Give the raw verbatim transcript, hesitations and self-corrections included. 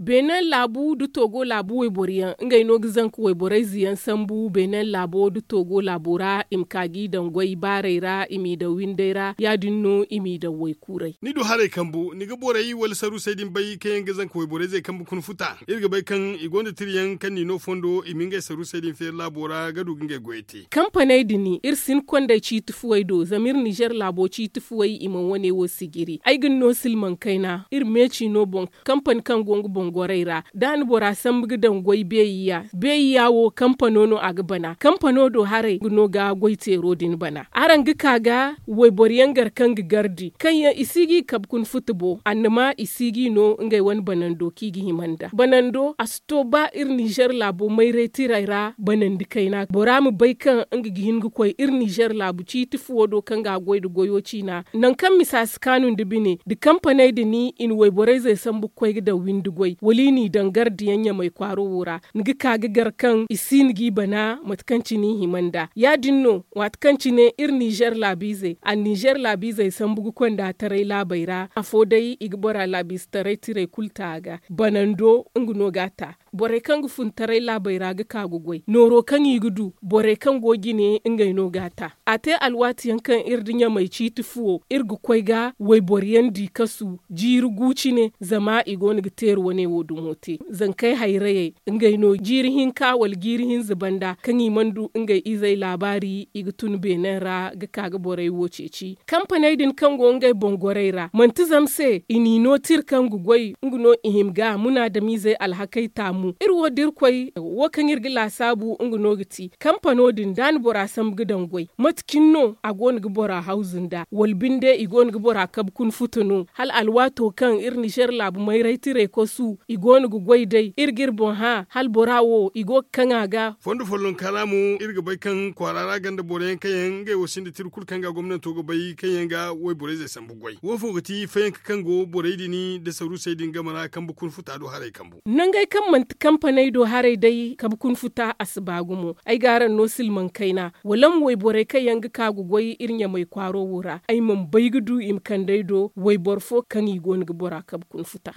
Beene laabu nda toogo laabu wayboro yaŋ ngey no ga zanka wayborey ze yaŋ sambu beene laabo nda toogo laabo ra i ma ka g'i daŋ goy baarey ra i m'i daŋ windey ra ya- din no i m'i daŋ waykuuray. Ni du haray kambu ni ga borey wala saruusey din bay kaŋ yaŋ ga zanka wayborey zey kambu kuna futa iri ga bay kaŋ i gonda tira yaŋ kaŋ n'i no fondo i ma ngey saruusey din feeri laabo ra ga du ga ngey goyey te. Kampaney din iri si hin kondey ciiti fuwey do zama iri ninzeer laabo ciiti fuwey i mana wane wo sijiri ay ga ni no silmaŋ kayna iri meeci no boŋ. Kampani kaŋ go nga boŋ gorey ra da a na bora sambu ga daŋ goy beeyi ya beeyi ya wo kampano no a ga bana kampano do haray nga no ga goy teero din bana araŋ ga ka ga wayboro yaŋ gar kaŋ ga gardi kaŋ yaŋ i si g'i kabe kuna futu bo annama i si g'i no ngey wane banando kaŋ i ga hima nd'a banando a si to ba iri ninzeer laabo mayray tirey ra banandi kayna bora ma bay kaŋ nga ga hin ga koy iri ninzeer laabu ciiti fuwo do kaŋ ga a goy nda goyo ciina nangu kaŋ misa si kaanu nda bine nda kampaney din i na wayborey zey sambu ga koy ga daŋ windi goy wala i n'i daŋ gardiyaŋ ɲamay kwaaro wo ra ni ga ka ga gar kaŋ i si hin g'i bana mate kaŋ cine i hima nd'a ya- din no waati kaŋ cine iri ninzeer laabiizey a na ninzeer laabiizey sambu ga konda taray laabey ra afo day i ga bora laabiize taray tirey kulu ta a ga banando nga no ga a ta borey kaŋ ga fun taray laabey ra ga ka ga goy nooro kaŋ i ga du borey kaŋ go jine ngey no ga a ta a te alwaati yaŋ kaŋ iri nda ɲamey ciiti fuwo iri ga koy ga wayboro yaŋ di kasu jiiri gu cine zama i go no ga teeri wane wo dumo te zankey hayrayey ngey no jiiri hinka wala jiiri hinza banda kaŋ i mana du ngey izey laabaari i ga tun beenaŋ ra ga ka ga borey wo ceeci kampaney din kaŋ go ngey boŋ gorey ra manti zama se i n'i no tira kaŋ ga goy nga no i hima ga munaadamiizey alhakey taamu iri wo da irkoy wo kaŋ iri ga laasaabu nga no ga ti kampano din da a na bora sambu ga daŋ goy mate cine no a go no ga bora hawzu nd'a wala binde i go no ga bora kabe kuna futa no hala alwaato kaŋ iri ninzeer laabu mayray tirey kosu i go no ga goy day iri ga iri boŋ hã hala bora wo i go ga kaŋ a ga fondo follonka ra mo iri ga bay kaŋ kwaara ra ganda boro yaŋ kaŋ yaŋ ngey wo sinda tira kulu kaŋ ga gomnanto ga bay kaŋ yaŋ ga wayborey zey sambu goy wo fo ga ti fayanka kaŋ go borey din nda saruusey din game ra kambe kuna futa do haray kambu nangey kaŋ manti kampaney do haray day kabe kuna futa a si ba gumo ay ga araŋ no silmaŋ kayna wala ma wayborey kaŋ yaŋ ga ka ga goy iri ɲamey kwaaro wo ra ay mana bay ga du i ma kand'ey do wayboro fo kaŋ i go no ga bora kabe kuna futa